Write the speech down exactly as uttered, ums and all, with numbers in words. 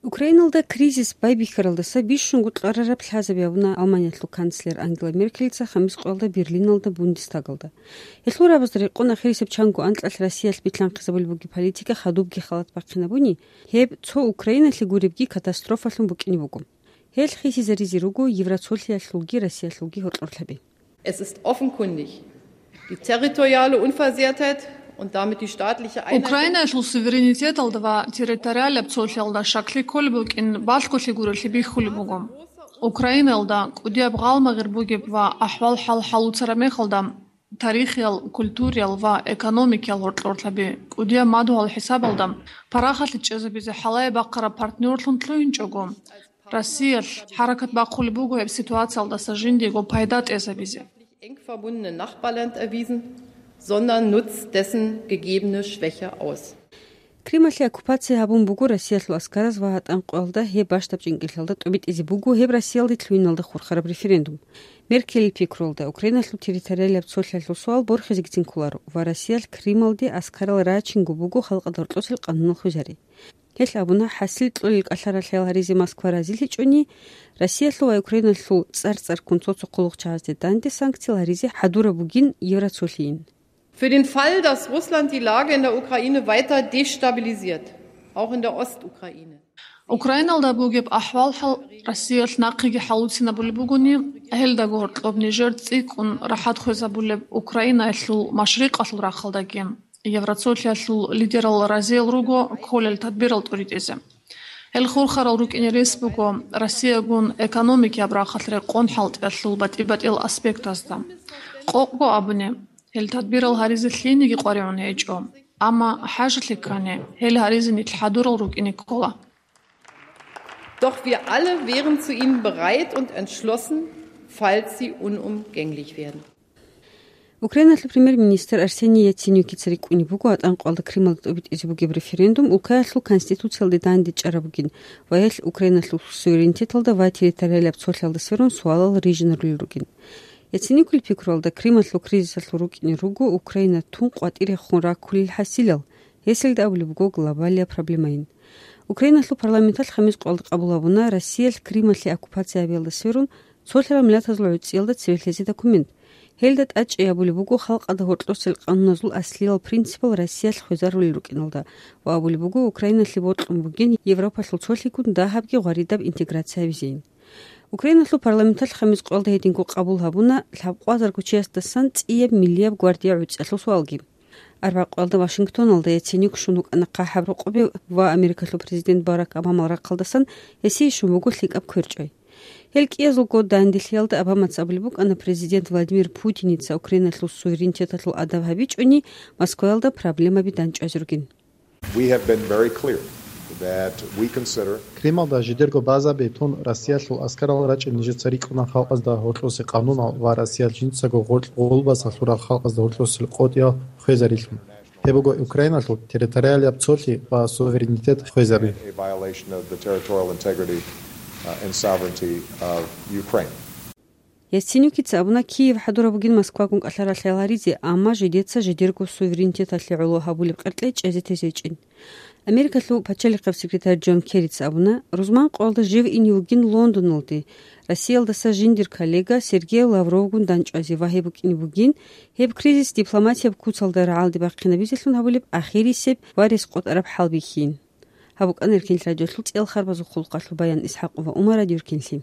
Украиналда кризис байбихьаралдаса бищунго кьарараб лъазаби гьабуна Германиялъул канцлер Ангела Меркелица хамис къоялда Берлиналда Бундестагалда. Гьелъул рабазда рекъон ахирисеб чанго анкьалъ Россиялъ билълъанхъизабулеб бугеб политика хадубги халат бахъинабуни, гьеб цо Украиналъе гуребги катастрофалъун букӀине буго. Гьел хисизаризе руго Евроцолъиялъулги Россиялъулги гьоркьорлъаби. Es ist offenkundig, die territoriale Unversehrtheit und damit die staatliche Einheit. Украинаялъул суверенитеталда ва территориалаб цолъиялда щаклъи кколеб букӀин балъголъи гурелъи бихьулеб буго. Украинаялда кӀудияб гъалмагъир бугеб ва ахӀвал-хӀал хӀалуцараб мехалда, тарихиял, культуриял ва экономикиял гьоркьорлъаби кӀудияб мадугьал хӀисабалда парахалъе чӀезабизе хӀалае бахъараб партнёрлъун лъугьинчӀого, Россиялъ хӀаракат бахъулеб буго гьеб ситуациялдаса жиндиего пайда тӀезабизе. Eng verbundene Nachbarland erwiesen, sondern nutzt dessen gegebene Schwäche aus. Крималъе оккупация гьабун буго Россиялъул аскараз ва гьатӀан къоялда гьеб бащдаб чӀинкӀиллъалда тӀубитӀизе буго гьеб Россиялде лъугьиналда хурхараб референдум. Меркелил пикруялда, Украиналъул территориалияб цолъиялъул суал борхизегицин кколаро ва Россиялъ Крималде аскарал рачинго буго халкъалда гьоркьосел къанунал хвезари. Гьелъ абуна, хӀасил кьолел кӀалъаралъе гьаризе Москва разилъичӀони, Россиялъул ва Украиналъул цӀар-цӀарккун цо-цо хъулухъчагьазде данде санкциял гьаризе хӀадураб бугин Евроцолъийин. Für den Fall, dass Russland die Lage in der Ukraine weiter destabilisiert, auch in der Ostukraine. Украиналда бугеб ахӀвал-хӀал Россиялъ нахъеги хӀалуцинабулеб бугони, гьелдаго гьоркьоб нижер цӀикӀкӀун рахӀат хвезабулеб Украинаялъул машрикъалъул рахъалдаги, Евроцолъиялъул лидерал разиял руго кколел тадбирал тӀуритӀизе. Гьел хурхарал рукӀине рес буго Россиягун экономикияб рахъалъ рекъон хӀалтӀиялъул батӀи-батӀиял аспектазда. Къокъго абуни, гьел тадбирал гьаризе лъиениги къваригӀун гьечӀо, амма хӀажалъи ккани, гьел гьаризе нилъ хӀадурал рукӀине ккола. Doch wir alle wären zu ihnen bereit und entschlossen, falls sie unumgänglich werden. Украиналъул премьер-министр Арсений Яценюкица рикӀкӀунеб буго гьатӀан къоялда Крималда тӀубитӀизе бугеб референдум улкаялъул конституциялде данде чӀараб бугин ва гьелъ Украиналъул суверенитеталда ва территориалияб цолъиялда сверун суалал рижинарулел ругин. Яценюкил пикруялда, Крималъул кризисалъул рукӀине руго Украина тун къватӀирехун раккулел хӀасилал, гьесилда абулеб буго глобалияб проблемайин. Украиналъул парламенталъ хамис къоялда къабул гьабуна Россиялъ Крималъе оккупация гьабиялда сверун цолъарал миллатазул гӀуцӀиялда цеве лъезе документ. Гьелда тӀадчӀей абулеб буго халкъалда гьоркьосел къануназул аслиял принципал Россиялъ хвезарулел рукӀиналда ва абулеб буго Украиналъе бокьун бугин Европалъул цолъигун дагьабги гъваридаб интеграция гьабизейин. Украиналъул парламенталъ хамис къоялда гьединго къабул гьабуна лъабкъвазарго чиясдасан цӀияб миллияб гвардия гӀуцӀиялъул суалги. Арбякъоялда Вашингтоналда Яценюк щун вукӀана ХъахӀаб рокъобе ва Америкалъул президент Барак Обамал рахъалдасан гьесие щун буго лъикӀаб кверчӀай. Гьел кӀиязулго данделъиялда Обамаца абулеб букӀана, президент Владимир Путиница Украиналъул суверенитеталъул адаб гьабичӀони, Москваялда проблемаби данчӀвазе ругин. We have been very clear that we consider Крималда жидерго базаби тун Россиялъул аскарал рачӀин нижеца рикӀкӀуна халкъазда гьоркьосе къанунал ва Россиялъ жинцаго гъоркь гъулбас лъурал халкъазда гьоркьосел къотӀиял хвезарилъун. Гьеб буго Украиналъул территориалияб цолъи ва суверенитет хвезаби. A violation of the territorial integrity, uh, and sovereignty of Ukraine. Яценюкица абуна, Киев хӀадураб бугин Москвагун кӀалъаралъе гьаризе, амма жидеца жидерго суверенитеталъе гӀоло гьабулеб къеркьей чӀезе тезечӀин. Америкалъул пачалихъаб секретарь Джон Керрица абуна, рузман къоялда жив ине вугин Лондоналде, Россиялдаса жиндир коллега Сергей Лавровгун данчӀвазе ва гьеб букӀине бугин, гьеб кризис дипломатияб куцалда рагӀалде бахъинабизелъун гьабулеб ахирисеб ва рес къотӀараб хӀал бихьин. Гьаб букӀана Эркин радиолъул цӀел харбазул хъулухъалъул баян. ИсхӀакъова Умара, Дюркинлъи.